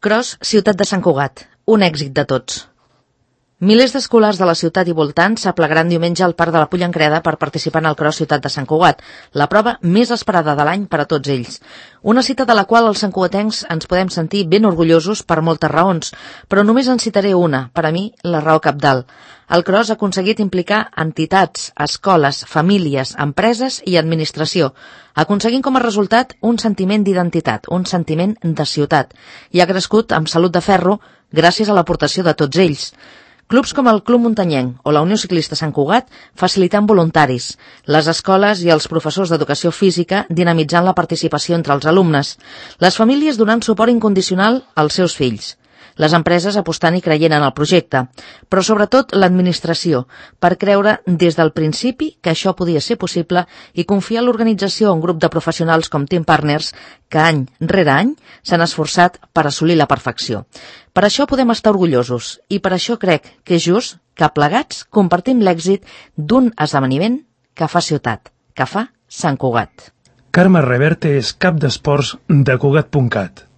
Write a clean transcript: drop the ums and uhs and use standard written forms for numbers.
Cros, ciutat de Sant Cugat, un èxit de tots. Milers d'escolars de la ciutat i voltants s'aplegaran diumenge al Parc de la Pollancreda per participar en el Cros Ciutat de Sant Cugat, la prova més esperada de l'any per a tots ells. Una cita de la qual els santcugatencs ens podem sentir ben orgullosos per moltes raons, però només en citaré una, per a mi la raó cabdal. El Cros ha aconseguit implicar entitats, escoles, famílies, empreses i administració, aconseguint com a resultat un sentiment d'identitat, un sentiment de ciutat, i ha crescut amb salut de ferro gràcies a l'aportació de tots ells. Clubs com el Club Muntanyenc o la Unió Ciclista Sant Cugat facilitant voluntaris, les escoles i els professors d'educació física dinamitzant la participació entre els alumnes, les famílies donant suport incondicional als seus fills, les empreses apostant i creient en el projecte, però sobretot l'administració, per creure des del principi que això podia ser possible i confiar en l'organització un grup de professionals com Team Partners que any rere any s'han esforçat per assolir la perfecció. Per això podem estar orgullosos i per això crec que és just que plegats compartim l'èxit d'un esdeveniment que fa ciutat, que fa Sant Cugat. Carme Reverte és cap d'esports de Cugat.cat.